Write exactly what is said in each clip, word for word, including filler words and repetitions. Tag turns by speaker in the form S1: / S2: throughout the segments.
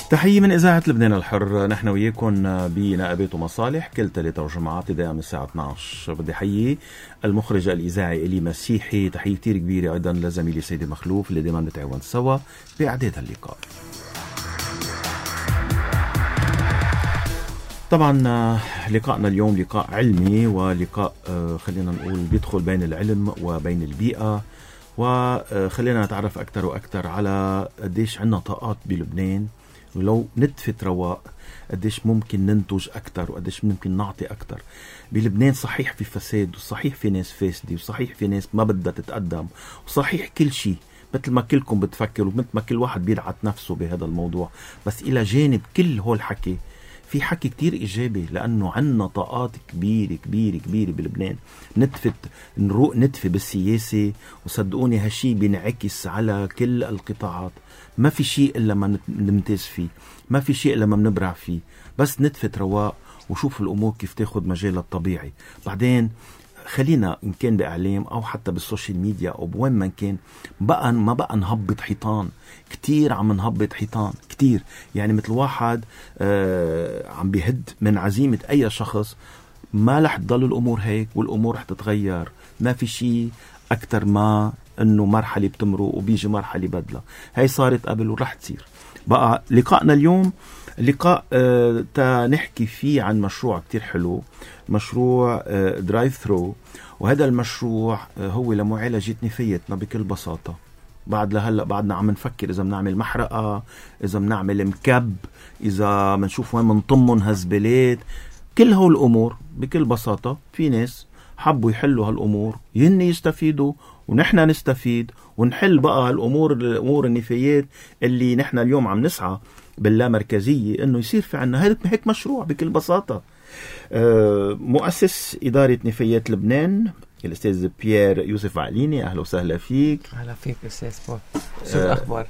S1: تحية من إذاعة لبنان الحر. نحن وياكم بنقابات ومصالح كل ثلاثة وجمعات ابتداء من الساعة اثني عشر. بدي حيي المخرج الإذاعي إلي مسيحي. تحية كتير كبيرة أيضا لزميلي سيدي مخلوف اللي دائما نتعاون سوا بإعداد اللقاء. طبعا لقاءنا اليوم لقاء علمي ولقاء خلينا نقول بيدخل بين العلم وبين البيئة، وخلينا نتعرف أكتر وأكتر على قديش عنا طاقات بلبنان، ولو نتفت رواق قديش ممكن ننتج أكتر وقديش ممكن نعطي أكتر بلبنان. صحيح في فساد، وصحيح في ناس فاسدة، وصحيح في ناس ما بدها تتقدم، وصحيح كل شيء مثل ما كلكم بتفكروا، مثل ما كل واحد بيدعت نفسه بهذا الموضوع. بس إلى جانب كل هول الحكي في حكي كتير إيجابي، لأنه عنا طاقات كبيرة كبيرة كبيرة بلبنان. نتفت نروق نتفي بالسياسة، وصدقوني هالشي بينعكس على كل القطاعات. ما في شيء إلا ما نمتاز فيه، ما في شيء إلا ما بنبرع فيه. بس نتفت رواق وشوف الأمور كيف تاخد مجالها الطبيعي. بعدين خلينا إن كان بإعلام أو حتى بالسوشيال ميديا أو بوين ما كان، بقى ما بقى نهبط حيطان. كتير عم نهبط حيطان كتير، يعني مثل واحد آه عم بيهد من عزيمة أي شخص. ما رح تضل الأمور هيك، والأمور رح تتغير. ما في شيء أكتر ما أنه مرحلة بتمرق وبيجي مرحلة بدلة. هاي صارت قبل ورح تصير. بقى لقاءنا اليوم لقاء آه تنحكي فيه عن مشروع كتير حلو، مشروع آه درايف ثرو. وهذا المشروع آه هو لمعالجة نفايتنا بكل بساطة. بعد لهلأ بعدنا عم نفكر إذا بنعمل محرقة، إذا بنعمل مكب، إذا بنشوف وين منطمن هزبلات. كل هول الأمور بكل بساطة في ناس حبوا يحلوا هالأمور، ين يستفيدوا ونحن نستفيد ونحل بقى الأمور الأمور النفايات اللي نحن اليوم عم نسعى باللامركزية إنه يصير في عنا هيك مشروع بكل بساطة. مؤسس إدارة نفايات لبنان الأستاذ بيير يوسف عقليني، أهلا وسهلا فيك.
S2: أهلا فيك أستاذ بول، شو الأخبار؟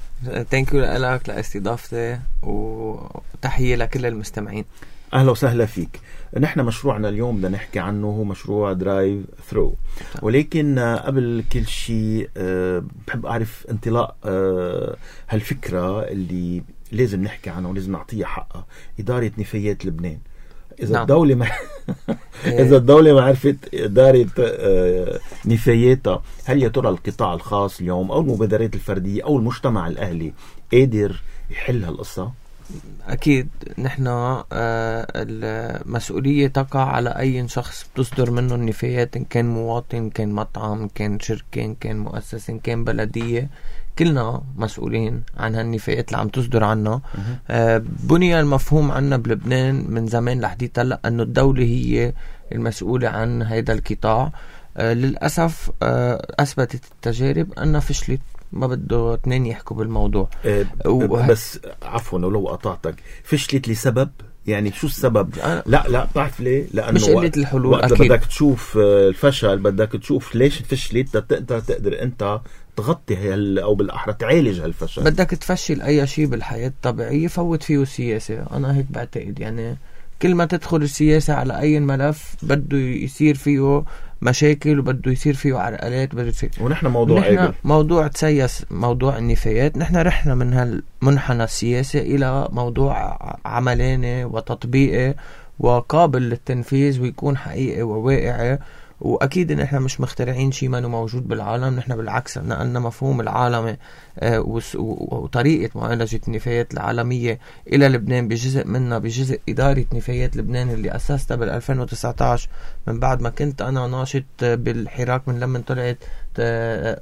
S2: تانكيو لك لاستضافتي، وتحية لكل المستمعين.
S1: أهلا وسهلا فيك. نحن مشروعنا اليوم بدنا نحكي عنه هو مشروع درايف ثرو، ولكن قبل كل شيء بحب أعرف انطلاق هالفكرة اللي لازم نحكي عنها ولازم نعطيها حقها، إدارة نفايات لبنان. إذا نعم. الدولة ما إذا الدولة ما عرفت إدارة نفاياتها، هل يا ترى القطاع الخاص اليوم أو المبادرات الفردية أو المجتمع الأهلي قادر يحل هالقصة؟
S2: أكيد نحن المسؤولية تقع على أي شخص بتصدر منه النفايات، إن كان مواطن، إن كان مطعم، إن كان شركة، إن كان مؤسسة، إن كان بلدية. كلنا مسؤولين عن هالنفايات اللي عم تصدر عنا. آه بني المفهوم عنا بلبنان من زمان لحديت هلا أنه الدولة هي المسؤولة عن هذا القطاع. آه للأسف آه أثبتت التجارب أنها فشلت، ما بده اثنين يحكوا بالموضوع.
S1: آه وه... بس عفوا لو قطعتك، فشلت لسبب يعني شو السبب؟ لا لا بعرف ليه، لأنه
S2: مش قلة الحلول.
S1: وقت أكيد بدك تشوف الفشل بدك تشوف ليش فشلت، انت تقدر انت تغطي هال او بالاحرى تعالج هالفشل.
S2: بدك تفشل اي شيء بالحياة الطبيعية فوت فيه السياسة. انا هيك بعتقد، يعني كل ما تدخل السياسة على اي ملف بده يصير فيه مشاكل وبده يصير فيه عرقلات بده يصير.
S1: ونحن موضوع
S2: نحن موضوع تسيس موضوع النفايات، نحن رحنا من هالمنحنى السياسي الى موضوع عملاني وتطبيقي وقابل للتنفيذ ويكون حقيقي وواقعي. واكيد ان احنا مش مخترعين شيء ما موجود بالعالم، نحن بالعكس نقلنا مفهوم العالمي آه وطريقه معالجه النفايات العالميه الى لبنان، بجزء منها بجزء اداره نفايات لبنان اللي اسستها بال ألفين وتسعة عشر من بعد ما كنت انا ناشط بالحراك من لما طلعت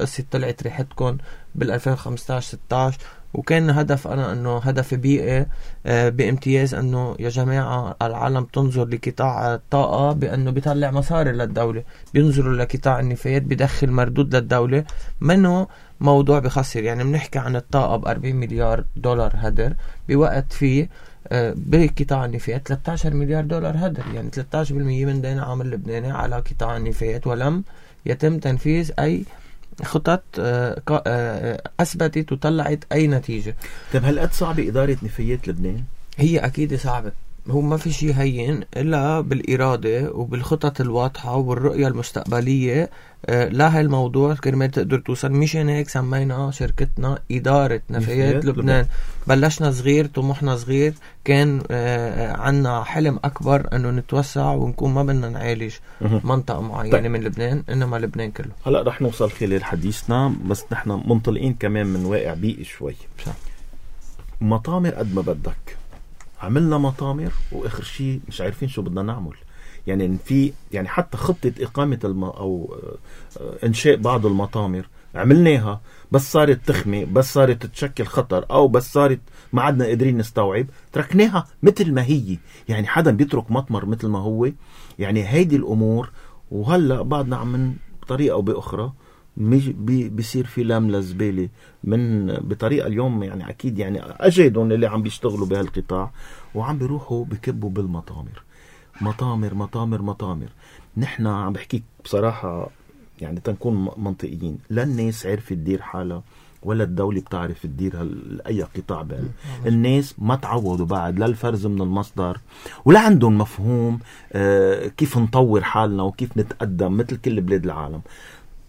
S2: قصه طلعت ريحتكم بال ألفين وخمسة عشر ستة عشر. وكان هدف أنا أنه هدف بيئي بامتياز، أنه يا جماعة العالم تنظر لقطاع الطاقة بأنه بيطلع مصاري للدولة، بينظروا لقطاع النفايات بدخل مردود للدولة، منه موضوع بخسر. يعني بنحكي عن الطاقة بأربعين مليار دولار هدر، بوقت فيه بقطاع النفايات ثلاثة عشر مليار دولار هدر، يعني ثلاثة عشر بالمئة من دين عام اللبناني على قطاع النفايات، ولم يتم تنفيذ أي خطط أثبتت وطلعت أي نتيجة.
S1: طيب هل قد صعبة إدارة نفايات لبنان؟
S2: هي أكيد صعبة، هو ما في شيء هين إلا بالإرادة وبالخطط الواضحة والرؤية المستقبلية آه لا هالموضوع كرمال تقدر توصل. مشان هيك سمينا شركتنا إدارة نفايات لبنان. لبنان بلشنا صغير، طموحنا صغير، كان آه عنا حلم أكبر أنه نتوسع ونكون ما بدنا نعالج منطقة معينة طيب. من لبنان، إنما لبنان كله.
S1: هلأ رح نوصل خلال حديثنا، بس نحن منطلقين كمان من واقع بيئي شوي.
S2: صح.
S1: مطامر قد ما بدك، عملنا مطامر وآخر شيء مش عارفين شو بدنا نعمل. يعني في يعني حتى خطة إقامة الم أو إنشاء بعض المطامر عملناها، بس صارت تخمي، بس صارت تشكل خطر، أو بس صارت ما عدنا قادرين نستوعب، تركناها مثل ما هي. يعني حدا بيترك مطمر مثل ما هو؟ يعني هيدي الأمور. وهلأ بعدنا عم من بطريقة أو بأخرى بي بيصير في لام لزبالة من بطريقة اليوم. يعني أكيد يعني أجدهم اللي عم بيشتغلوا بهالقطاع وعم بيروحوا بكبوا بالمطامر. مطامر مطامر مطامر. نحن عم بحكيك بصراحة، يعني تنكون منطقيين، لا الناس عرفت تدير حالها ولا الدولة بتعرف تدير أي قطاع بال. الناس ما تعودوا بعد لا الفرز من المصدر، ولا عندهم مفهوم آه كيف نطور حالنا وكيف نتقدم مثل كل بلاد العالم.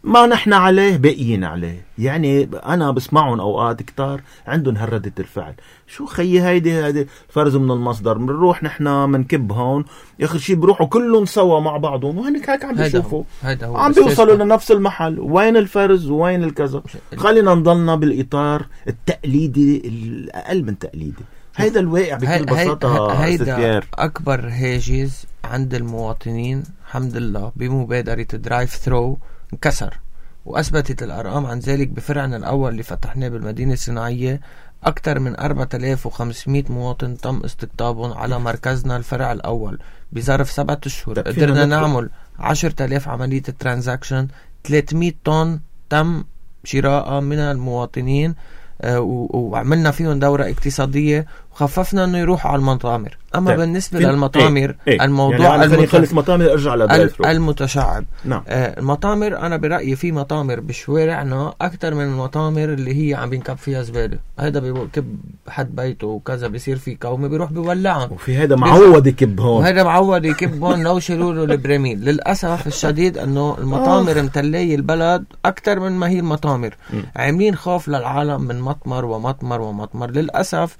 S1: ما نحن عليه باقيين عليه. يعني أنا بسمعهم أوقات كتار عندهم هردة الفعل، شو خيي هيدي هيدي فرز من المصدر، بنروح نحن منكب هون، آخر شيء بروحوا كلهم سوا مع بعضهم، وهنك هيك عم بيشوفوا عم بيوصلوا لنفس المحل. وين الفرز وين الكذا؟ خلينا نضلنا بالإطار التقليدي الأقل من تقليدي. هيدا الواقع بكل بساطة.
S2: هيدا أكبر هاجس عند المواطنين الحمد لله بمبادرة درايف ثرو انكسر، وأثبتت الأرقام عن ذلك. بفرعنا الأول اللي فتحناه بالمدينة الصناعية أكثر من أربعة آلاف وخمسمية مواطن تم استقطابهم على مركزنا الفرع الأول بظرف سبعة أشهر. قدرنا نعمل عشرة آلاف عملية ترانزاكشن، ثلاثمية طن تم شراء من المواطنين، آه وعملنا فيهم دورة اقتصادية وخففنا انه يروحوا على المطامر. اما طيب. بالنسبة للمطامر ايه؟ ايه؟ الموضوع
S1: يعني المت... خلص مطامر ارجع لدرايف
S2: المتشعب.
S1: نعم.
S2: آه المطامر انا برأيي في مطامر بشوارعنا اكتر من المطامر اللي هي عم بينكب فيها زبالة. هيدا بيكب حد بيته وكذا، بيصير في كومة بيروح بيولعهم،
S1: وفي هيدا معود يكب هون
S2: وهيدا معود يكب هون لو شيلوا له البراميل. للأسف الشديد انه المطامر متلية البلد اكتر من ما هي المطامر. م. عاملين خوف للعالم من مطمر ومطمر ومطمر. للأسف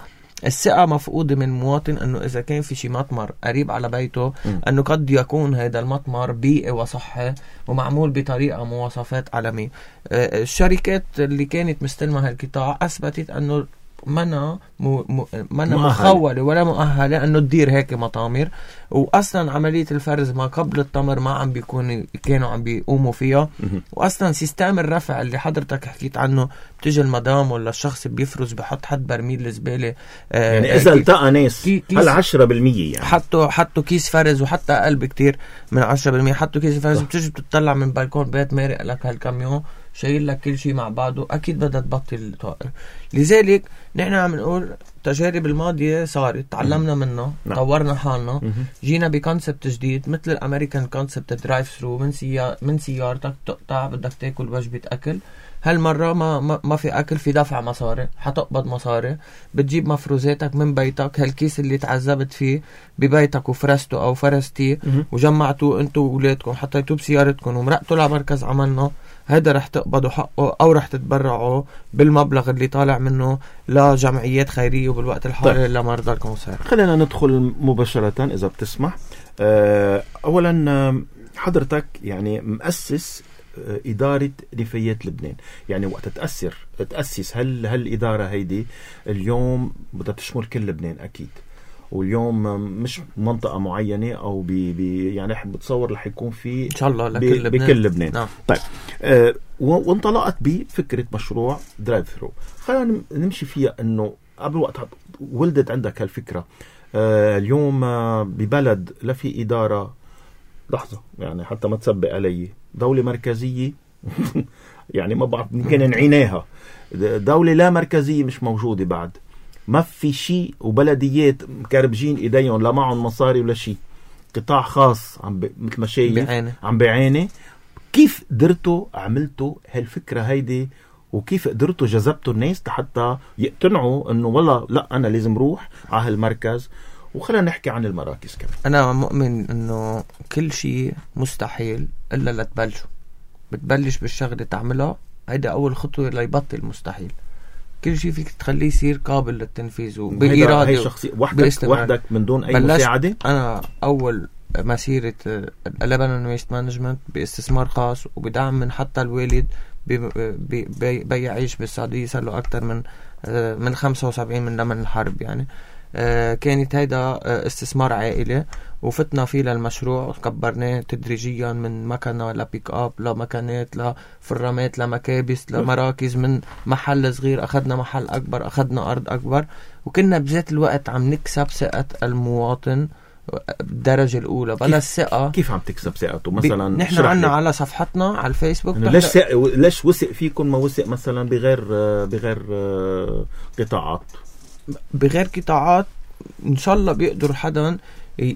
S2: الثقة مفقودة من مواطن انه اذا كان في شي مطمر قريب على بيته م. انه قد يكون هذا المطمر بيئي وصحي ومعمول بطريقة مواصفات عالمية. آه الشركات اللي كانت مستلمة هالقطاع اثبتت انه منا مو م... منا مخولة ولا مؤهلة انه تدير هيك مطامر. واصلا عملية الفرز ما قبل التمر ما عم بيكون كانوا عم بيقوموا فيها. واصلا سيستم الرفع اللي حضرتك حكيت عنه، بتيجي المدام ولا الشخص بيفرز بحط حد برميل الزبالة.
S1: آه يعني اذا التقى ناس هل عشرة بالمية يعني
S2: حطوا حطوا كيس فرز، وحتى اقل بكتير من عشرة بالمية حطوا كيس فرز. بتيجي بتطلع من بالكون بيت مارق لك هالكاميون شايل لك كل شيء مع بعضه، اكيد بدها تبطل الطائر. لذلك نحن عم نقول التجارب الماضيه صارت، تعلمنا منها، طورنا حالنا، جينا بكونسبت جديد مثل الامريكان كونسبت درايف ثرو. من سيار من سيارتك تقطع بدك تاكل وجبه اكل، هالمره ما ما, ما في اكل، في دفع مصاري، حتقبض مصاري، بتجيب مفروزاتك من بيتك. هالكيس اللي تعذبت فيه ببيتك وفرسته او فرستيه وجمعتوه انتو واولادكم حطيتوه بسيارتكم ومرقتوا لمركز عملنا، هذا رح تقبضوا حقه او رح تتبرعوا بالمبلغ اللي طالع منه لجمعيات خيرية وبالوقت الحالي طيب. لمرضى الكانسر.
S1: خلينا ندخل مباشرة اذا بتسمح. أه اولا حضرتك يعني مؤسس إدارة نفايات لبنان، يعني وقت تأثر تأسس هل هالإدارة هيدي اليوم بدها تشمل كل لبنان أكيد، واليوم مش منطقة معينة أو بي بي يعني بتصور رح يكون في
S2: إن شاء الله لكل لبنان.
S1: بكل لبنان.
S2: نعم.
S1: طيب آه وانطلقت بفكرة مشروع درايف ثرو. خلينا نمشي فيها إنه قبل وقت ولدت عندك هالفكرة. آه اليوم آه ببلد لا في إدارة، لحظة يعني حتى ما تسبق علي، دولة مركزية يعني ما بعرف يمكن نعيناها، دولة لا مركزية مش موجودة بعد، ما في شيء، وبلديات مكربجين ايديهم لا معهم مصاري ولا شيء، قطاع خاص عم ب... مثل ما شايف عم بيعاني. كيف قدرتوا عملتوا هالفكرة هيدي، وكيف قدرتوا جذبتوا الناس حتى يقتنعوا انه والله لا انا لازم روح على هالمركز؟ وخلينا نحكي عن المراكز كمان.
S2: انا مؤمن انه كل شيء مستحيل الا لتبلشوا. بتبلش بالشغلة تعملها، هيدا أول خطوة ليبطل مستحيل. كل شيء فيك تخليه يصير قابل للتنفيذ وبإرادة.
S1: هي شخصية وحدك وحدك من دون أي مساعدة.
S2: أنا أول مسيرة Lebanon Waste Management باستثمار خاص وبدعم من حتى الوالد بي بي بيعيش بالسعودية صار له أكتر من من خمسة وسبعين من لمن الحرب يعني. كانت هيدا استثمار عائلي وفتنا فيه للمشروع، كبرناه تدريجيا من مكنة لبيك اب لمكانات لفرامات لمكابس لمراكز، من محل صغير أخذنا محل أكبر، أخذنا أرض أكبر، وكنا بذات الوقت عم نكسب ثقة المواطن بالدرجة الأولى. بلا الثقة
S1: كيف عم تكسب ثقته؟ مثلا
S2: نحن عنا على صفحتنا على الفيسبوك
S1: ليش سق... ليش وثق فيكم ما وثق مثلا بغير بغير قطاعات
S2: بغير قطاعات إن شاء الله بيقدر حدا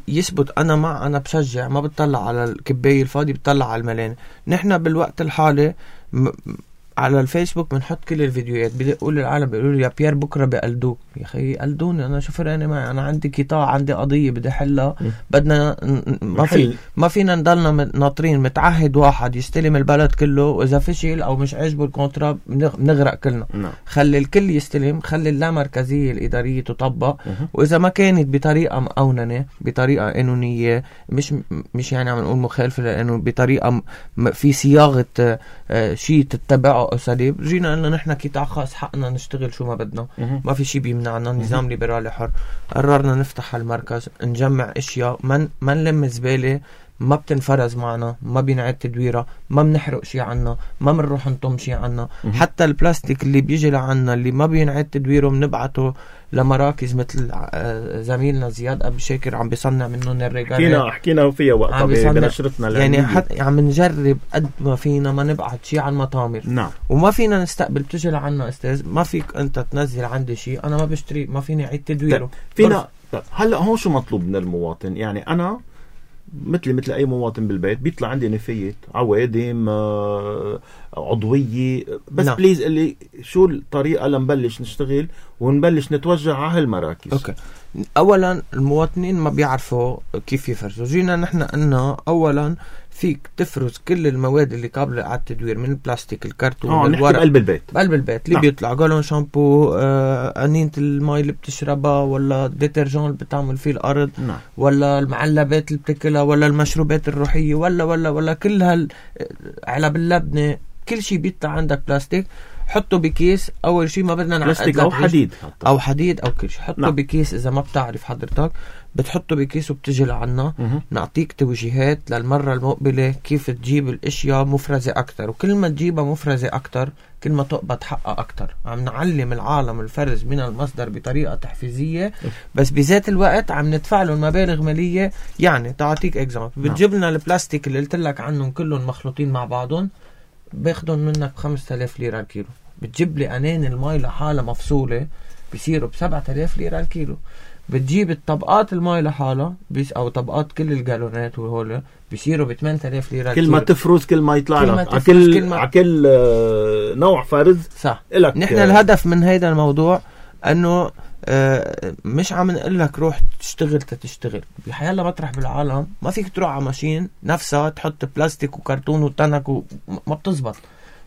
S2: يثبت. أنا مع أنا بشجع، ما بتطلع على الكباية الفاضي، بتطلع على الملانة. نحن بالوقت الحالي م... على الفيسبوك بنحط كل الفيديوهات، بدي اقول للعالم بيقولوا لي يا بيير بكره بقلدوك. يا اخي قلدوني، انا شو فرقني معي؟ انا عندي قطاع، عندي قضيه بدي حلها، بدنا ما في ما فينا نضلنا ناطرين متعهد واحد يستلم البلد كله، واذا فشل او مش عاجبه الكونترا بنغرق كلنا. نعم. خلي الكل يستلم، خلي اللامركزيه الاداريه تطبق، واذا ما كانت بطريقه مقوننه بطريقه قانونيه، مش مش يعني عم نقول مخالفه، لانه بطريقه في صياغه شيء تتبعه أساليب. جينا قلنا نحن قطاع خاص، حقنا نشتغل شو ما بدنا، ما في شي بيمنعنا، نظام ليبرالي حر. قررنا نفتح المركز، نجمع اشياء، ما ما نلم زبالة، ما بتنفرز معنا، ما بينعاد تدويرها، ما بنحرق شي عنا، ما بنروح نطم شي عنا. حتى البلاستيك اللي بيجي لعنا اللي ما بينعاد تدويره بنبعته لمراكز مثل زميلنا زياد أبو شاكر عم بيصنع منهم الرجال.
S1: حكينا حكينا فيها وقتها بنشرتنا
S2: يعني حتى عم نجرب قد ما فينا ما نبعت شي عن مطامر.
S1: نعم.
S2: وما فينا نستقبل، بتجي لعنا استاذ ما فيك انت تنزل عندي شي، انا ما بشتري، ما فيني اعيد تدويره.
S1: فينا هلا هون شو مطلوب من المواطن؟ يعني انا مثل مثل اي مواطن بالبيت بيطلع عندي نفايات، عوادم، عضويه، بس لا. بليز اللي شو الطريقه لنبلش نشتغل ونبلش نتوجه على هالمراكز.
S2: اوكي. اولا المواطنين ما بيعرفوا كيف يفرزوا. جينا نحن قلنا اولا فيك تفرز كل المواد اللي قابله على التدوير، من البلاستيك، الكرتون،
S1: اه الورق، بقلب البيت
S2: بقلب البيت اللي نعم. بيطلع جالون شامبو، آه، قنينة المي اللي بتشربها، ولا الديترجون اللي بتعمل فيه الارض، نعم. ولا المعلبات اللي بتاكلها، ولا المشروبات الروحيه، ولا ولا ولا كل هالعلب اللبنه، كل شيء بيطلع عندك بلاستيك، حطه بكيس. اول شيء ما بدنا
S1: نعقد او حديد حتى.
S2: او حديد او كل شيء، حطه نعم. بكيس. اذا ما بتعرف حضرتك بتحطه بكيس وبتجي لعنا، نعطيك توجيهات للمرة المقبلة كيف تجيب الاشياء مفرزة اكتر، وكل ما تجيبها مفرزة اكتر كل ما تقبض حقها اكتر. عم نعلم العالم الفرز من المصدر بطريقة تحفيزية، بس بذات الوقت عم ندفع لهم مبالغ مالية. يعني تعطيك اكزامبل، بتجيب لنا البلاستيك اللي قلت لك عنهم كلهم مخلوطين مع بعضهم، باخدهم منك بخمسة آلاف ليرة الكيلو. بتجيب لي انين المي لحالة مفصولة بيصيروا بسبعة آلاف ليرة الكيلو. بتجيب الطبقات المي لحالها بيس او طبقات كل الجالونات وهول بيصيروا ب ثمانية آلاف ليرة
S1: كل ما تفرز كل ما يطلع لك على كل على كل نوع فرز.
S2: صح. نحن الهدف من هيدا الموضوع انه آه مش عم نقول لك روح تشتغل تشتغل بحيالله مطرح بالعالم ما فيك تروح على ماشين نفسها تحط بلاستيك وكرتون وتنك وما بتزبط.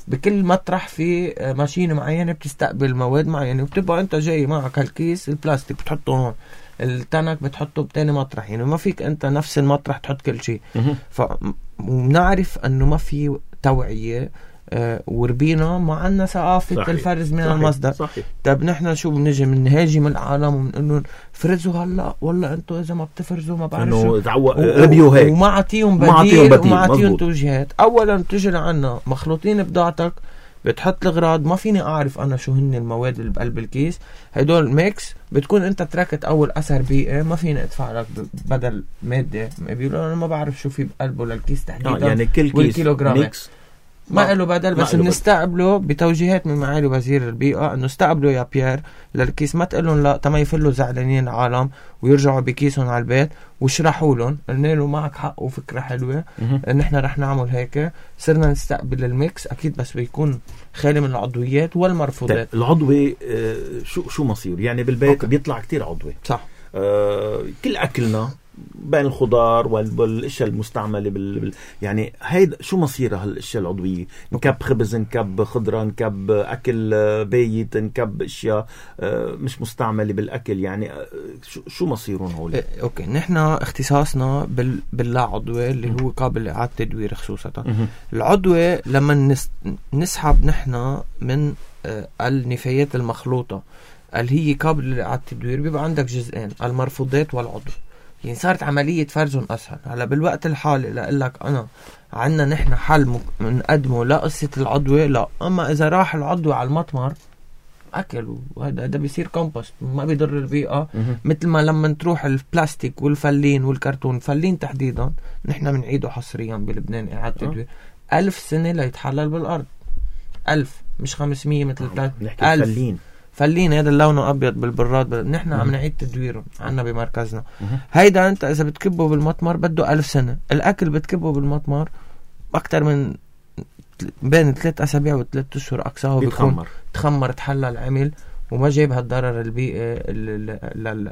S2: بكل مطرح في ماشين معينة بتستقبل مواد معينة، وبتبقى انت جاي معك هالكيس البلاستيك بتحطه هون، التنك بتحطه بتاني مطرح، يعني ما فيك انت نفس المطرح تحط كل شيء. فنعرف انه ما في توعية، آه وربينا ما عنا ثقافة الفرز من صحيح. المصدر. صحيح. طب نحن شو بنجي من نهاجم العالم وبنقول فرزوا هلا، ولا انتوا اذا ما بتفرزوا ما بعرف شو
S1: ربيو هيك،
S2: وما عطيهم بديل وما عطيهم توجيهات. اولا بتجي لعنا مخلوطين بضاعتك، بتحط الغراض، ما فيني اعرف انا شو هن المواد اللي بقلب الكيس، هدول ميكس، بتكون انت تركت اول اثر بيئي، ما فيني ادفع لك بدل ماده. بيقولوا انا ما بعرف شو في بقلبه للكيس تحديدا،
S1: يعني كل كيس ميكس
S2: ما له بدل، بس بنستقبله بتوجيهات من معالي وزير البيئة انه استقبلوا يا بيير للكيس، ما تقلن لا تما يفلوا زعلانين العالم ويرجعوا بكيسهم على البيت، واشرحوا لهم قلنا له معك حق وفكرة حلوة، نحن رح نعمل هيك. صرنا نستقبل الميكس اكيد، بس بيكون خالي من العضويات والمرفوضات.
S1: العضوي آه شو شو مصير يعني بالبيت؟ أوكي. بيطلع كتير عضوي.
S2: صح.
S1: آه كل اكلنا بين الخضار والاشياء المستعمله بال... بال... يعني هيدا شو مصيرها هالاشياء العضويه؟ نكب خبز، نكب خضره، نكب اكل بايت، نكب اشياء مش مستعمله بالاكل، يعني شو شو مصيرهم هول؟
S2: اوكي، نحن اختصاصنا بال... باللا عضوي اللي هو قابل لاعاده تدوير خصوصا. العضوي لما نس... نسحب نحن من النفايات المخلوطه اللي هي قابله لاعاده التدوير، بيبقى عندك جزئين، المرفوضات والعضو. يعني صارت عملية فرزهم أسهل. هلا بالوقت الحالي لأقول لك أنا عنا نحن حل منقدمه لا قصة العضوة لا، أما إذا راح العضوة على المطمر أكل، وهذا هذا بيصير كومبوست ما بيضر البيئة. مثل ما لما تروح البلاستيك والفلين والكرتون، فلين تحديدا نحن بنعيده حصريا بلبنان إعادة تدوير ألف سنة ليتحلل بالأرض. ألف مش خمسمية مثل البلاستيك، ألف فلين فلين هذا اللون ابيض بالبراد. نحن عم نعيد تدويره عنا بمركزنا. هيدا انت اذا بتكبه بالمطمر بده ألف سنه، الاكل بتكبه بالمطمر اكتر من بين ثلاث اسابيع وثلاث اشهر اقصاه بيكون تخمر تحلل عمل وما جايب هالضرر البيئي.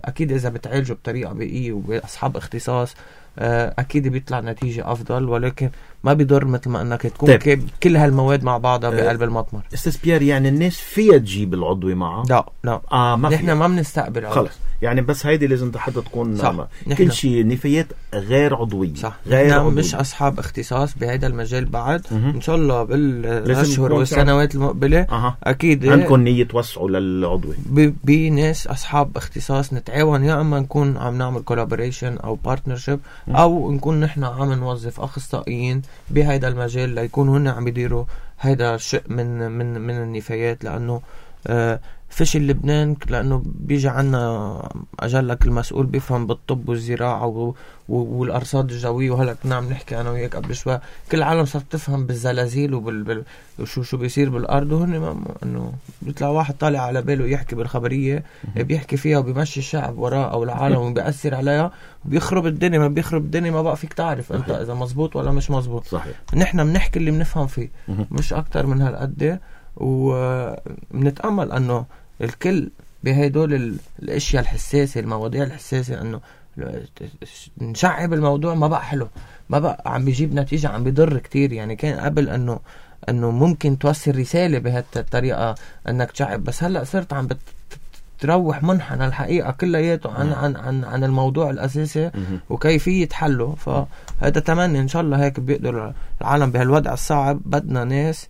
S2: اكيد اذا بتعالجه بطريقه بيئيه وباصحاب اختصاص اكيد بيطلع نتيجه افضل، ولكن ما بيضر مثل ما انك تكون طيب. كل هالمواد مع بعضها بقلب المطمر.
S1: استاذ بيير، يعني الناس فيها تجيب العضوي معها؟
S2: لا لا
S1: اه ما
S2: نحن ما بنستقبل
S1: خلص، يعني بس هيدي لازم حتى تكون
S2: صح.
S1: كل شيء نفايات غير عضويه
S2: صح.
S1: غير
S2: نحن
S1: عضوية.
S2: مش اصحاب اختصاص بهذا المجال بعد. م- ان شاء الله بالاشهر والسنوات المقبله
S1: أه.
S2: اكيد
S1: عندكم نيه توسعوا للعضوي
S2: بناس اصحاب اختصاص نتعاون، يا اما نكون عم نعمل كولابوريشن او بارتنرشيب، او نكون نحن عم نوظف اخصائيين بهذا المجال ليكونوا هن عم يديروا هذا الشيء من من من النفايات. لانه آه فشل لبنان لانه بيجي عنا اجلك المسؤول بيفهم بالطب والزراعه والارصاد الجويه، وهلا كنا عم نحكي انا وياك قبل شوي كل العالم صارت تفهم بالزلازل وبال شو شو بيصير بالارض، وهن انه بيطلع واحد طالع على باله يحكي بالخبريه بيحكي فيها وبيمشي الشعب وراه او العالم وبيأثر عليها وبيخرب الدنيا. ما بيخرب الدنيا ما بقى فيك تعرف انت اذا مزبوط ولا مش مزبوط.
S1: صحيح.
S2: نحن بنحكي اللي بنفهم فيه مش اكتر من هالقد، وبنتامل انه الكل بهدول الاشياء الحساسه المواضيع الحساسه انه نشعب الموضوع. ما بقى حلو، ما بقى عم بيجيب نتيجه، عم بيضر كتير. يعني كان قبل انه انه ممكن توصل رساله بهالطريقه انك تشعب، بس هلا صرت عم بتروح منحنى الحقيقه كلياته عن عن عن عن الموضوع الاساسي وكيفيه حله. فهذا تمني ان شاء الله هيك بيقدر العالم بهالوضع الصعب. بدنا ناس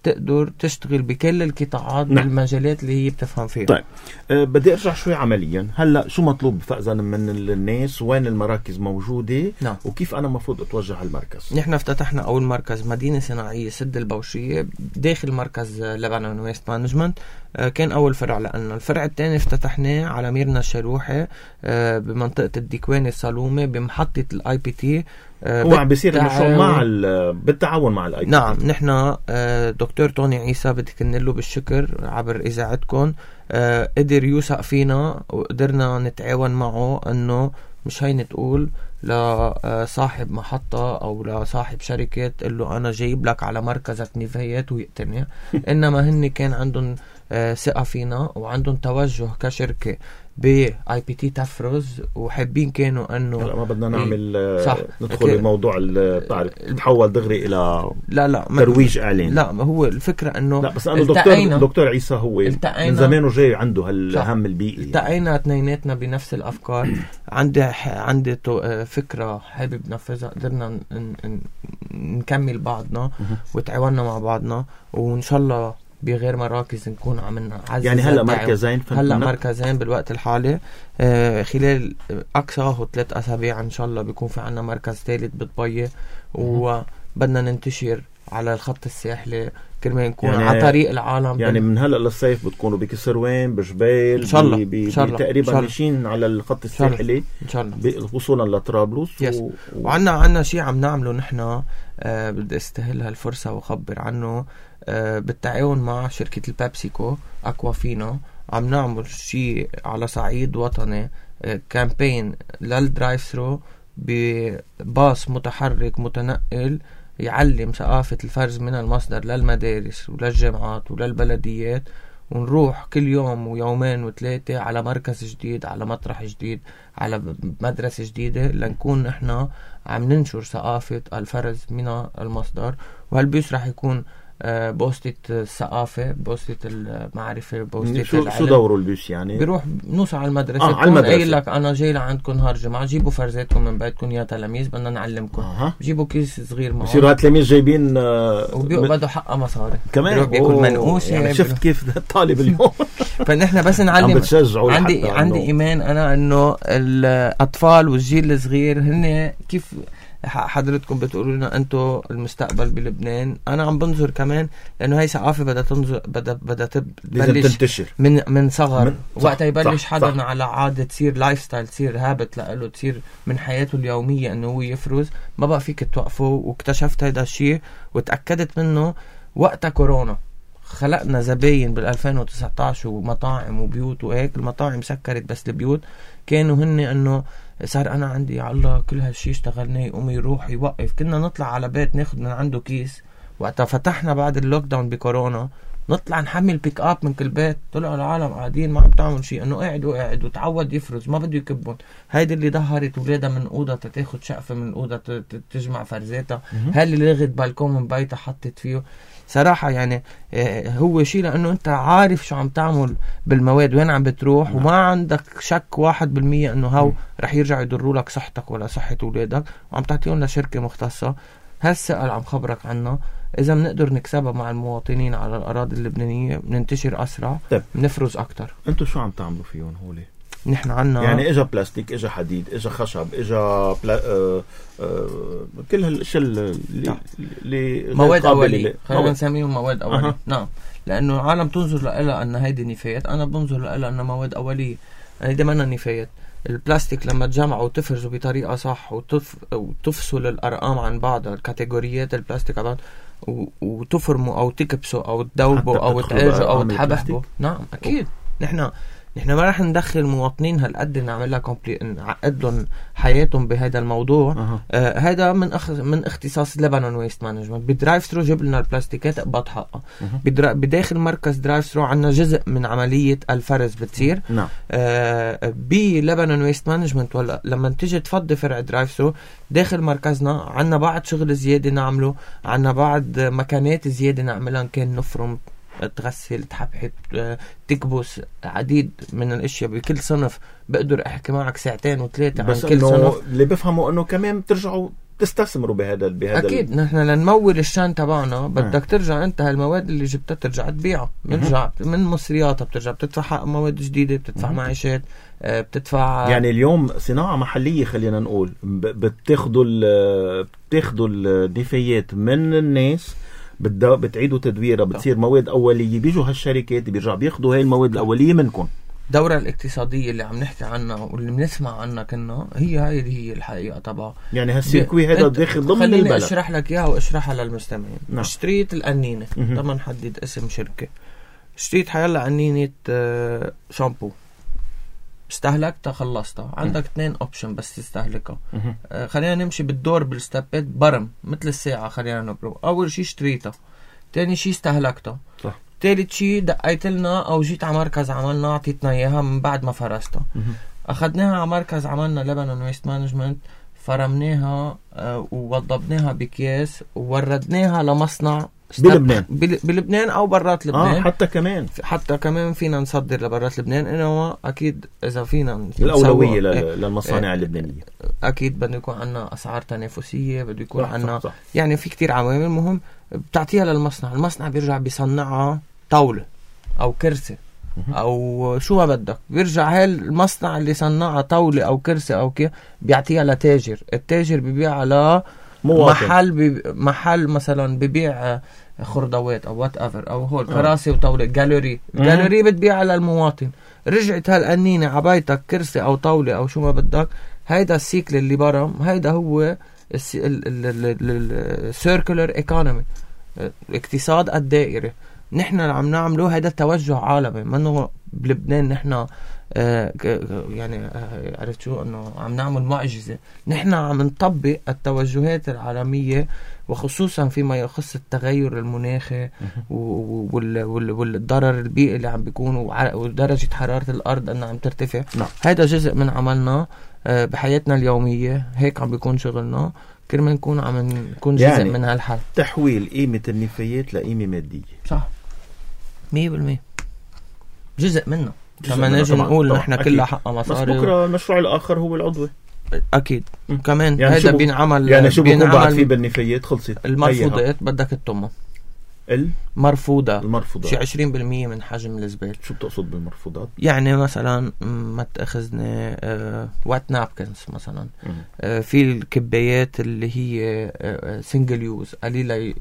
S2: تقدر تشتغل بكل القطاعات نعم. بالمجالات اللي هي بتفهم فيها.
S1: طيب أه بدي ارجع شوي عمليا. هلا شو مطلوب فأذا من الناس؟ وين المراكز موجوده؟
S2: نعم.
S1: وكيف انا مفروض اتوجه على المركز؟
S2: نحن افتتحنا اول مركز مدينه صناعيه سد البوشيه داخل مركز لبنان ويست مانجمنت. أه كان اول فرع لنا. الفرع الثاني افتتحناه على ميرنا الشروحي أه بمنطقه الديكواني الصالومه بمحطه الاي بي تي.
S1: هو عم بيصير المشروع مع بالتعاون مع الاي بي تي.
S2: نعم. نحن دكتور توني عيسى بدي كنله بالشكر عبر اذاعتكم، قدر يوثق فينا وقدرنا نتعاون معه انه مش هيني تقول لصاحب محطة او لصاحب شركة تقول له انا جايب لك على مركزك نفايات ويقتنع. انما هن كان عندهم ثقة فينا وعندهم توجه كشركة باي بي تي تفرز، وحابين كانوا انه
S1: لا ما بدنا نعمل إيه ندخل بموضوع التعرف تحول دغري الى
S2: لا لا
S1: ترويج اعلان.
S2: لا هو الفكره انه
S1: لا بس انا دكتور دكتور عيسى هو من زمان جاي عنده هالهم البيئي.
S2: التقينا اثنيناتنا بنفس الافكار. عندي عندي فكره حابب ننفذها، قدرنا نكمل بعضنا وتعاوننا مع بعضنا، وان شاء الله بغير مراكز نكون عم نعزز.
S1: يعني هلا مركزين
S2: هلا مركزين بالوقت الحالي. آه خلال اقصاه ثلاث اسابيع ان شاء الله بيكون في عنا مركز ثالث بطبيه، وبدنا ننتشر على الخط الساحلي كرمال نكون يعني على طريق العالم.
S1: يعني من هلا للصيف بتكونوا بكسروين بجبال
S2: ان شاء الله بي بي
S1: تقريبا ماشيين على الخط الساحلي
S2: ان شاء الله
S1: وصولا لطرابلس.
S2: و... و... وعنا عنا شيء عم نعمله نحن. آه بدي استهل هالفرصه واخبر عنه. آه بالتعاون مع شركه البيبسيكو اكوافينا عم نعمل شيء على صعيد وطني. آه كامبين للدرايف ثرو بباص متحرك متنقل يعلم ثقافة الفرز من المصدر للمدارس وللجامعات وللبلديات، ونروح كل يوم ويومين وثلاثة على مركز جديد، على مطرح جديد، على مدرسة جديدة، لنكون احنا عم ننشر ثقافة الفرز من المصدر. وهالبيوس رح يكون بوستة الثقافة، بوستة المعرفة، بوستة
S1: شو
S2: العلم.
S1: شو دوره البيوس يعني؟
S2: بيروح نوصل على المدرسة،
S1: آه على المدرسة.
S2: قايل لك أنا جاي لعندكم نهار جمعة، جيبوا فرزاتكم من بيتكم يا تلاميذ بدنا نعلمكم.
S1: آه.
S2: جيبوا كيس صغير معهم،
S1: بصيروا هالتلاميذ جايبين آه
S2: وبيقبضوا حقها مصاري
S1: كمان،
S2: بياكل منقوشة.
S1: يعني شفت كيف الطالب اليوم
S2: فنحن بس نعلم. عندي عندي إيمان أنا إنه الأطفال والجيل الصغير هن كيف حضرتكم بتقولوا لنا أنتوا المستقبل بلبنان. أنا عم بنظر كمان لأنه هاي ثقافة بدها تنظر، بدها بدها تبلش
S1: تنتشر
S2: من من صغر، وقتها يبلش
S1: صح
S2: حدا
S1: صح.
S2: على عادة تصير لايف ستايل، تصير هابت لأله، تصير من حياته اليومية إنه هو يفرز، ما بقى فيك توقفه. واكتشفت هيدا الشيء وتأكدت منه وقتها كورونا. خلقنا زباين بالألفين وتسعة عشر ومطاعم وبيوت وهيك. المطاعم سكرت بس البيوت كانوا هن انه صار انا عندي على الله كل هالشي اشتغلناه، يقوم يروح يوقف. كنا نطلع على بيت ناخد من عنده كيس. وقتها فتحنا بعد اللوك داون بكورونا نطلع نحمل بيك اب من كل بيت. طلعوا العالم قاعدين ما عم تعمل شيء، انه قاعد وقاعد وتعود يفرز، ما بده يكبهم. هيدي اللي ظهرت ولادها من اوضه تاخد شقفه من اوضه تجمع فرزاتها، هاي اللي لغت بالكون من بيتها حطت فيه. صراحة يعني هو شيء لأنه أنت عارف شو عم تعمل بالمواد وين عم بتروح، وما عندك شك واحد بالمية أنه هاو رح يرجع يضروا لك صحتك ولا صحة أولادك، وعم تعطيهم لشركة مختصة. هالسؤال عم خبرك عنه. إذا بنقدر نكسبها مع المواطنين على الأراضي اللبنانية بننتشر أسرع، بنفرز أكتر.
S1: أنتوا شو عم تعملوا فيهم هولي؟
S2: نحن عنا
S1: يعني اجا بلاستيك، اجا حديد، اجا خشب، اجا بلا... آه... آه... كل هالاشياء اللي اللي
S2: مواد اوليه، خلينا نسميهم مواد اوليه.
S1: أه.
S2: نعم، لانه العالم تنظر لها ان هيدي نفايات، انا بنظر لها انها مواد اوليه. هيدي منا نفايات. البلاستيك لما تجمعه وتفرزه بطريقه صح وتف... وتفصل الارقام عن بعض، الكاتيجوريات البلاستيك عن بعض، و... وتفرمه او تكبسه او تذوبه او تعالجه او تحبحه. نعم اكيد. نحن نحن ما رح ندخل المواطنين هالقد نعملها كومبلي نعقد لهم حياتهم بهذا الموضوع.
S1: أه.
S2: آه هذا من أخ... من اختصاص لبنان ويست مانجمنت. بدرايف ثرو جيب لنا البلاستيكات اقبض حقها. أه. بدرا... بداخل مركز درايف ثرو عنا جزء من عمليه الفرز بتصير.
S1: نعم.
S2: آه بلبنان ويست مانجمنت ولا لما تيجي تفضي فرع درايف ثرو داخل مركزنا عنا بعض شغل زياده نعمله، عنا بعض مكانات زياده نعملها، كان نفرم، تغسل، تحبحب، تكبس، عديد من الاشياء بكل صنف. بقدر احكي معك ساعتين وثلاثه عن كل صنف.
S1: اللي بفهموا انه كمان بترجعوا تستثمروا بهذا بهذا
S2: اكيد. ال... نحن لنمول الشان تبعنا بدك اه. ترجع انت هالمواد اللي جبتها ترجع تبيعها، بنرجع من مصرياتها، بترجع بتدفع حق مواد جديده، بتدفع معيشات، بتدفع.
S1: يعني اليوم صناعه محليه خلينا نقول، بتاخذوا بتاخذوا النفايات من الناس، بتعيدوا تدويرها، بتصير مواد أولية، بيجوا هالشركات بيرجع بياخدوا هاي المواد الأولية منكم.
S2: الدورة الاقتصادية اللي عم نحكي عنها واللي بنسمع عنها كنا هي هاي هي الحقيقة طبعا.
S1: يعني هالسيركوي هذا داخل ضمن البلد.
S2: خليني أشرح لك إياها وأشرحها للمستمعين. نعم. اشتريت القنينة، طبعا نحدد اسم شركة. اشتريت حيلا قنينة شامبو، استهلكتها خلصتها. عندك اثنين اوبشن بس تستهلكها. آه خلينا نمشي بالدور بالستابات. برم مثل الساعة خلينا نبرو. اول شي اشتريتها، تاني شي استهلكتها،
S1: صح.
S2: تالت شي دقيت لنا او جيت على مركز عملنا اعطيتنا اياها من بعد ما فرستها. اخذناها على مركز عملنا لبنان ويست مانجمنت، فرمناها آه ووضبناها بكياس ووردناها لمصنع
S1: بلبنان
S2: بلبنان او برات لبنان.
S1: آه حتى كمان
S2: حتى كمان فينا نصدر لبرات لبنان، انما اكيد اذا فينا
S1: الاولويه للمصانع اللبنانيه
S2: اكيد بده يكون عندنا اسعار تنافسيه، بده يكون عندنا يعني في كتير عوامل مهم بتعطيها للمصنع. المصنع بيرجع بيصنعها طاوله او كرسي او شو ما بدك، بيرجع هاي المصنع اللي صنعها طاوله او كرسي او كي بيعطيها لتاجر. التاجر بيبيعها ل محل بي محل مثلا ببيع خردوات او وات ايفر او هول كراسي وطاوله. جاليري جاليري بتبيعها للمواطن. رجعت هالقنينه عبايتك كرسي او طاوله او شو ما بدك. هيدا السيكل اللي برا، هيدا هو السيركولر ايكونومي، الاقتصاد الدائري. نحن اللي عم نعمله هذا توجه عالمي، منه بلبنان نحن آه يعني آه عرفت شو انه عم نعمل معجزة. نحن عم نطبق التوجهات العالمية، وخصوصا فيما يخص التغير المناخي والضرر البيئي اللي عم بيكون ودرجة حرارة الأرض أنها عم ترتفع.
S1: نعم.
S2: هذا جزء من عملنا آه بحياتنا اليومية، هيك عم بيكون شغلنا، كرمال نكون عم نكون جزء يعني من هالحل.
S1: تحويل قيمة النفايات لقيمة مادية.
S2: صح مية بالمية جزء منه. كمان نجي نقول نحن كلها حق مصاري.
S1: بس بكرة المشروع الآخر هو العضوي.
S2: أكيد م. كمان
S1: يعني
S2: هذا بينعمل.
S1: يعني شو بيكون بعد فيه بالنفايات؟ خلصت
S2: المرفوضات بدك الطمة المرفوضة
S1: المرفوضات
S2: شي عشرين بالمية من حجم الزبالة.
S1: شو بتقصد بالمرفوضات؟ يعني
S2: مثلا ما تأخذنا آه وات نابكنز مثلا، آه في الكبايات اللي هي آه سنجل يوز قليلة ي-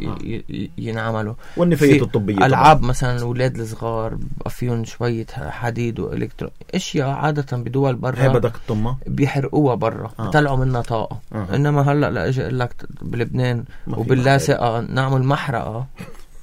S2: ي- ينعملوا،
S1: والنفايات الطبية
S2: ألعاب طبعا. مثلا الأولاد الصغار بقى فيهم شوية حديد وإلكترو أشياء عادة بدول برا
S1: هي بدك الطمة
S2: بيحرقوها برا آه. بيطلعوا منها طاقة آه. إنما هلأ لأجي أقول لك بلبنان وباللاصقة نعمل محرقة،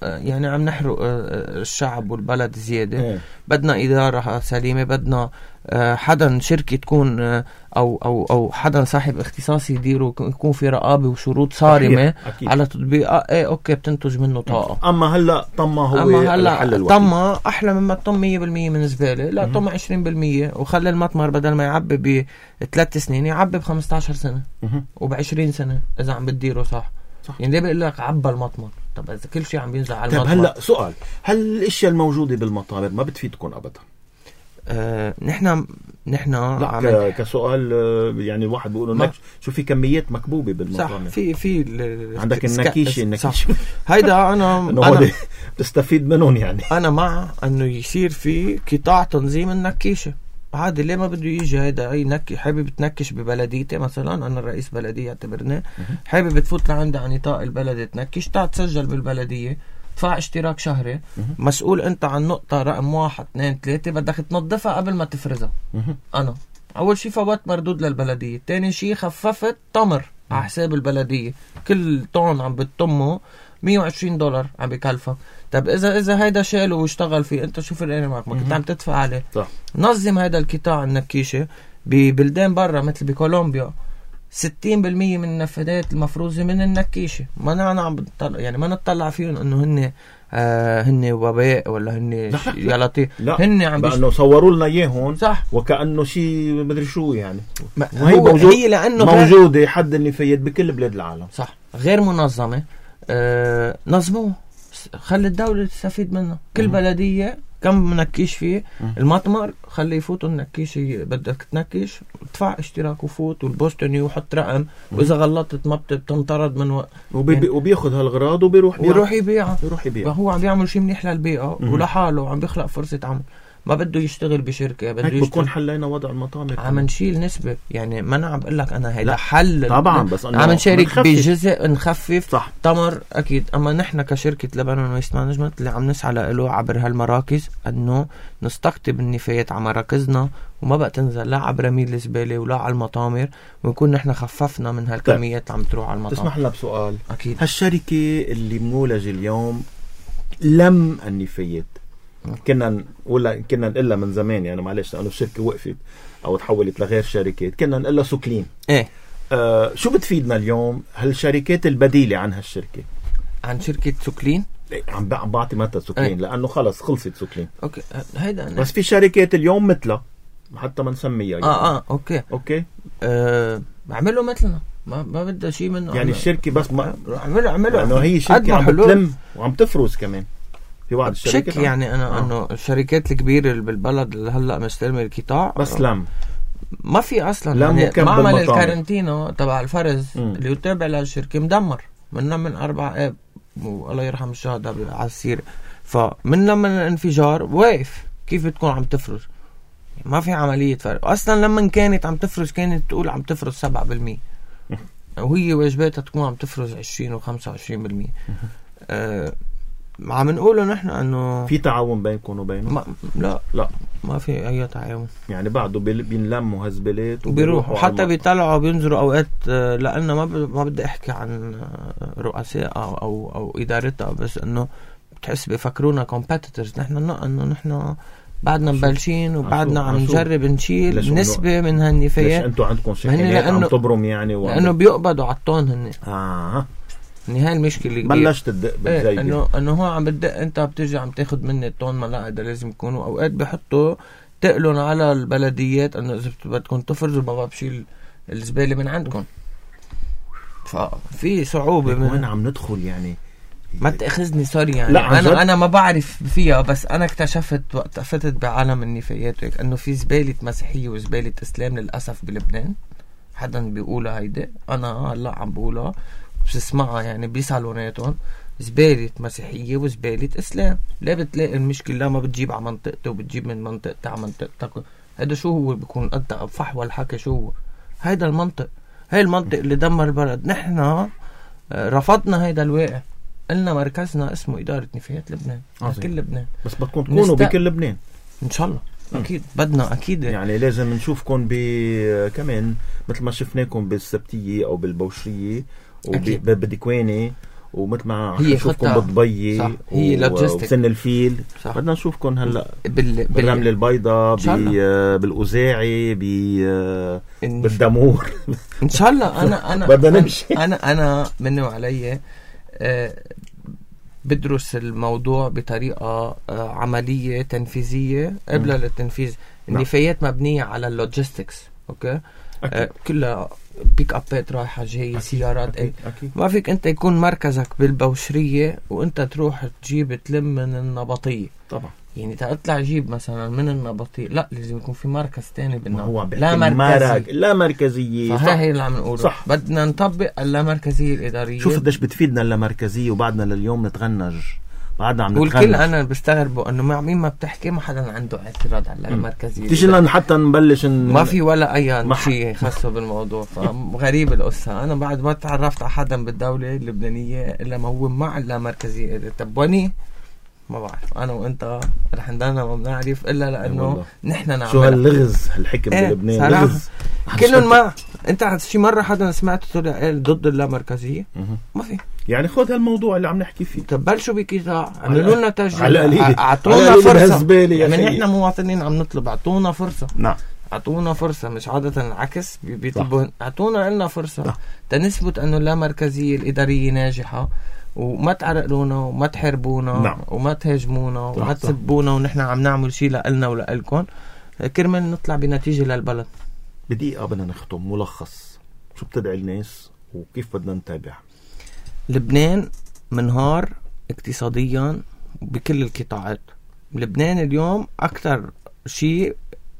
S2: يعني عم نحرق الشعب والبلد زيادة. اه. بدنا إدارة سليمة، بدنا حدا شركة تكون أو أو أو حدا صاحب اختصاص يديره، يكون في رقابة وشروط صارمة على تطبيق. ايه اوكي بتنتج منه طاقة.
S1: اما هلا طمة هو
S2: أما هلا
S1: الحل الوحيد.
S2: طمة أحلى مما الطم مية بالمية من زبالة. لا طم عشرين بالمية وخلي المطمر بدل ما يعبي بثلاث سنين يعبي بخمسة عشر سنة وبعشرين سنة إذا عم بتديره صح. صح. يعني ليه بقول لك عبى المطمر؟ طب إذا كل شيء عم بينزل على المطمر.
S1: طب هلا سؤال، هل الاشياء الموجودة بالمطابر ما بتفيدكم ابدا؟
S2: آه، نحن نحن
S1: لا ك... كسؤال يعني الواحد بيقول ما... شو في كميات مكبوبة بالمطابر.
S2: صح. في في
S1: ال... عندك النكيشة النكيشة
S2: هيدا أنا
S1: أنا بتستفيد منهم يعني.
S2: أنا مع إنه يصير في قطاع تنظيم النكيشة عادي. ليه ما بده يجي هيدا أي نكي حابب تنكش ببلديتي مثلا، أنا الرئيس بلدية اعتبرناه، حابب تفوت لعند عن نطاق البلد تنكش، تعال تسجل بالبلدية، دفع اشتراك شهري، مسؤول أنت عن نقطة رقم واحد اثنين ثلاثة، بدك تنظفها قبل ما تفرزها. أنا أول شي فوت مردود للبلدية، تاني شي خففت تمر على حساب البلدية، كل طن عم بتطمه مية وعشرين دولار عم بكلفك. طب إذا إذا هيدا شاله واشتغل فيه، أنت شو فرقاني معك؟ ما كنت عم تدفع عليه. صح. نظم هيدا القطاع النكيشة ببلدان برا مثل بكولومبيا، ستين بالمية من النفاذات المفروزة من النكيشة. ما أنا عم بطلع يعني ما نطلع فيهم إنه هن آه هن وباء ولا هن يا لطيف. هن عم
S1: بأنه صوروا لنا إياهم
S2: صح
S1: وكأنه شيء مدري شو يعني.
S2: هي موجود هي لأنه
S1: موجودة حد النفايات بكل بلاد العالم.
S2: صح. غير منظمة. آه نظموه، خلي الدولة تستفيد منه. كل مم. بلدية كم منكيش فيه مم. المطمر خلي يفوتوا النكيش. بدك تنكش ادفع اشتراك وفوت والبوستني وحط رقم مم. واذا غلطت ما بتنطرد من و...
S1: وبي يعني وبياخذ هالغراض وبيروح
S2: ويروح يبيعها.
S1: يروح يبيعها.
S2: هو عم بيعمل شيء منيح للبيئة ولحاله، عم بيخلق فرصة عمل. ما بده يشتغل بشركة، بده
S1: يشتغل. بكون حلينا وضع المطامر،
S2: عم نشيل نسبة. يعني ما أنا عم بقول لك أنا هيدا حل
S1: طبعا، بس
S2: عم نشارك بجزء نخفف.
S1: صح.
S2: تمر أكيد. أما نحن كشركة لبنان ويست مانجمنت اللي عم نسعى له عبر هالمراكز أنه نستقطب النفايات على مراكزنا وما بقى تنزل لا عبر رميل الزبالة ولا على المطامر، ونكون نحن خففنا من هالكميات اللي عم تروح على المطامر.
S1: تسمح لنا بسؤال؟
S2: أكيد.
S1: هالشركة اللي مولجة اليوم لم النفايات، كنا ولا كنا نقلها من زمان يعني معلش لأنه الشركة وقفت أو تحولت لغير شركات، كنا نقلها سوكلين.
S2: إيه
S1: آه شو بتفيدنا اليوم هالشركات البديلة عن هالشركة؟
S2: عن شركة سوكلين؟
S1: إيه عم بعطي مثل سوكلين. إيه؟ لأنه خلص خلصت سوكلين.
S2: أوكي هيدا أنا.
S1: بس في شركات اليوم مثلها حتى ما نسميها يعني.
S2: آه آه أوكي
S1: أوكي
S2: آه عملوا مثلنا، ما ما بدها شيء منه
S1: يعني الشركة بس ما
S2: عملوا عملوا
S1: لأنه هي شركة عم بتلم وعم تفرز كمان. في بعض الشركات
S2: يعني انا آه. انه الشركات الكبيره اللي بالبلد اللي هلا مستلمه القطاع
S1: بس لم
S2: ما في اصلا يعني معمل الكارنتينو تبع الفرز م. اللي يتابع للشركه مدمر من من اربع اب والله يرحم الشهداء على السيره. فمن لما الانفجار واقف كيف بتكون عم تفرز؟ ما في عمليه فرق اصلا. لما كانت عم تفرز كانت تقول عم تفرز سبعة بالمية وهي واجباتها تكون عم تفرز عشرين وخمسة وعشرين بالمية. آه عم نقوله نحن انه
S1: في تعاون بينكم وبينهم؟
S2: ما لا
S1: لا
S2: ما في اي تعاون.
S1: يعني بعده بينلموا هزبلات
S2: وبيروحوا حتى بيطلعوا بينزلوا اوقات. لانه ما ب... ما بدي احكي عن رؤساء او او, أو ادارتها، بس انه بتحس بفكرونا competitors. نحن انه نحن بعدنا مبلشين وبعدنا عم نجرب نشيل نسبة من هالنفايات.
S1: ليش انتوا عندكم شحنات عم تبرم يعني؟
S2: لانه بيقبضوا على الطون هن.
S1: اه
S2: يعني هاي المشكلة اللي
S1: بلشت تدق بالزايدة.
S2: ايه انه انه هو عم بدق، انت بتجي عم تاخد مني الطون ملاقة لازم يكونوا. اوقات بحطوا تقلن على البلديات انه اذا بدكم تفرزوا بابا بشيل الزبالة من عندكم. ففي صعوبة من
S1: وين عم ندخل يعني.
S2: ما تأخذني سوري يعني.
S1: لا
S2: انا انا ما بعرف فيها، بس انا اكتشفت وقت فتت بعالم النفايات هيك انه في زبالة مسيحية وزبالة اسلام للاسف بلبنان. حدا بيقولها هيدا، انا هلا عم بقولها بسمعها يعني بصالوناتهم. زبالة مسيحية وزبالة اسلام. لا بتلاقي المشكلة لا ما بتجيب على منطقته وبتجيب من منطقتها على منطقتك. هذا شو هو بيكون قد فحوى الحكي. شو هو هيدا المنطق؟ هاي المنطق اللي دمر البلد. نحن رفضنا هيدا الواقع. قلنا مركزنا اسمه إدارة نفايات لبنان. كل لبنان.
S1: بس بدكم تكونوا نست... بكل لبنان
S2: إن شاء الله. أكيد بدنا أكيد
S1: يعني لازم نشوفكم ب كمان مثل ما شفناكم بالسبتية أو بالبوشرية وبدكواني، ومثل ما نشوفكم بالضبية وسن الفيل. صح. بدنا نشوفكم هلا بال... بالرمل البيضاء بالأوزاعي بالدمور
S2: إن شاء الله. أنا أنا
S1: بدنا نمشي.
S2: أنا أنا مني وعلي أه بدرس الموضوع بطريقة أه عملية تنفيذية قبل التنفيذ. النفايات مبنية على اللوجيستكس. أوكي أه كلها بيك أبات رايحة جاية سيارات. أكيد. أكيد. ما فيك أنت يكون مركزك بالبوشرية وأنت تروح تجيب تلم من النبطية.
S1: طبعا
S2: يعني تطلع جيب مثلا من النبطية، لا لازم يكون في مركز تاني بالنبطية.
S1: لا مركزية. لا مركزية.
S2: فهي هي اللي عم نقوله. بدنا نطبق اللامركزية الإدارية.
S1: شوف قديش بتفيدنا اللامركزية وبعدنا لليوم نتغنج. بعدنا عم نتغنج.
S2: والكل أنا بستغربوا إنه مع مين ما بتحكي ما حدا عنده اعتراض على اللامركزية.
S1: تيجي لنا حتى نبلش ن...
S2: ما في ولا أي شيء خاصه بالموضوع. فغريب القصة. أنا بعد ما تعرفت على حدا بالدولة اللبنانية إلا ما هو مع اللامركزية. طب وني ما بعرف. أنا وأنت رح ندانا ما بنعرف إلا لأنه نحن نعمل
S1: شو هاللغز هالحكم
S2: ايه
S1: بلبنان. لغز
S2: كلهم ما. أنت شي مرة حدا سمعت طلع ضد اللامركزية؟ ما في.
S1: يعني خذ هالموضوع اللي عم نحكي فيه.
S2: طب بلشوا بكذا عملوا لنا
S1: تسجيل.
S2: اعطونا فرصة. يعني نحن مواطنين عم نطلب اعطونا فرصة.
S1: نعم
S2: اعطونا فرصة. مش عادة العكس بيطلبوا. اعطونا لنا فرصة. نعم. تنثبت انه اللامركزية الإدارية ناجحة وما تعرقلونا وما تحاربونا. نعم. وما تهاجمونا وما تسبونا ونحن عم نعمل شيء لنا ولألكم كرمال نطلع بنتيجة للبلد.
S1: بدقيقة بدنا نختم ملخص. شو بتدعي الناس وكيف بدنا نتابع؟
S2: لبنان منهار اقتصاديا بكل القطاعات. لبنان اليوم أكتر شيء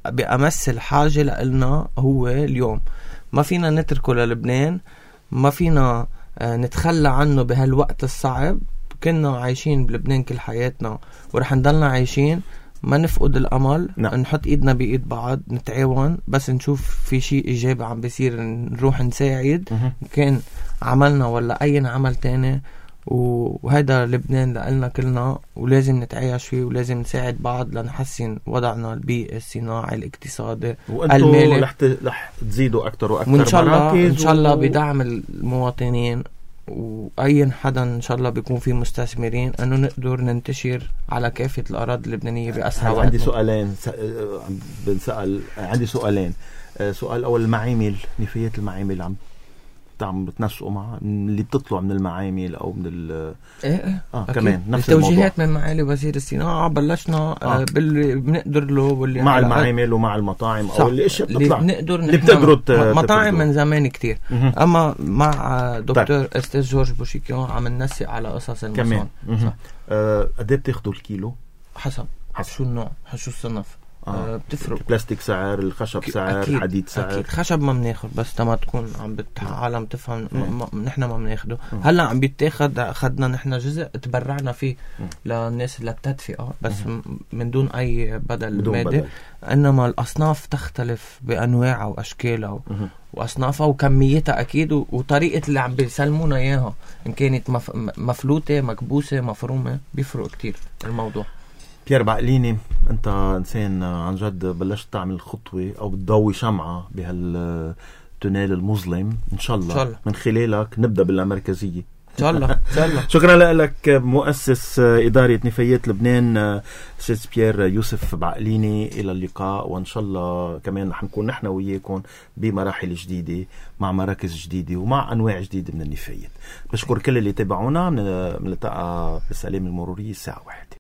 S2: بأمس الحاجة لنا هو اليوم. ما فينا نتركه للبنان. ما فينا نتخلى عنه بهالوقت الصعب. كنا عايشين بلبنان كل حياتنا ورح نضلنا عايشين. ما نفقد الأمل. نعم. نحط إيدنا بإيد بعض نتعاون. بس نشوف في شيء إيجابي عم بيصير نروح نساعد. كان عملنا ولا أي عمل تاني. وهذا لبنان لقلنا كلنا ولازم نتعايش فيه ولازم نساعد بعض لنحسن وضعنا البيئي الصناعي الاقتصادي
S1: المالي. رح رح تزيدوا أكتر وأكتر.
S2: وإن شاء الله إن شاء الله بدعم المواطنين وأي حدا إن شاء الله بيكون فيه مستثمرين أنه نقدر ننتشر على كافة الأراضي اللبنانية بأسرع وقت.
S1: عندي سؤالين بنسأل. عندي سؤالين. سؤال أول المعامل. نفايات المعامل عم عم بتنسقوا مع اللي بتطلع من المعامل او من ال
S2: ايه
S1: اه كمان نفس
S2: التوجيهات من معالي وزير الصناعه. بلشنا آه. باللي بنقدر له واللي
S1: مع المعامل ومع المطاعم او اللي اشياء بتطلع
S2: اللي بنقدر
S1: اللي بتقدروا
S2: مطاعم من زمان كتير. اما مع دكتور استاذ جورج بوشيكيون عم ننسق على قصص المصان.
S1: آه قد ايه بتاخذوا الكيلو؟
S2: حسب حسب شو النوع شو الصنف. آه بتفرق.
S1: البلاستيك سعر، الخشب سعر،
S2: أكيد.
S1: حديد سعر.
S2: أكيد. خشب ما بناخد بس تما تكون عم بتعالم تفهم. نحن ما بناخده. هلا عم بيتاخد. أخذنا نحن جزء تبرعنا فيه م. للناس اللي بتدفئة بس م. من دون أي بدل مادي. إنما الأصناف تختلف بأنواعها وأشكالها وأصنافها وكميتها أكيد وطريقة اللي عم بيسلمونا إياها إن كانت مف... مفلوتة مكبوسة مفرومة بيفرق كتير الموضوع.
S1: بيير بعقليني انت انسان عن جد بلشت تعمل خطوة او بتضوي شمعة بهالتونيل المظلم. ان شاء الله, إن شاء الله من خلالك نبدأ باللامركزية
S2: إن شاء الله إن شاء الله.
S1: شكرا لك مؤسس إدارة نفايات لبنان أستاذ بيير يوسف بعقليني. إلى اللقاء، وإن شاء الله كمان رح نكون نحن وياكم بمراحل جديدة مع مراكز جديدة ومع أنواع جديدة من النفايات. بشكر كل اللي تابعونا. بنلتقى بالسلام المرورية الساعة واحدة.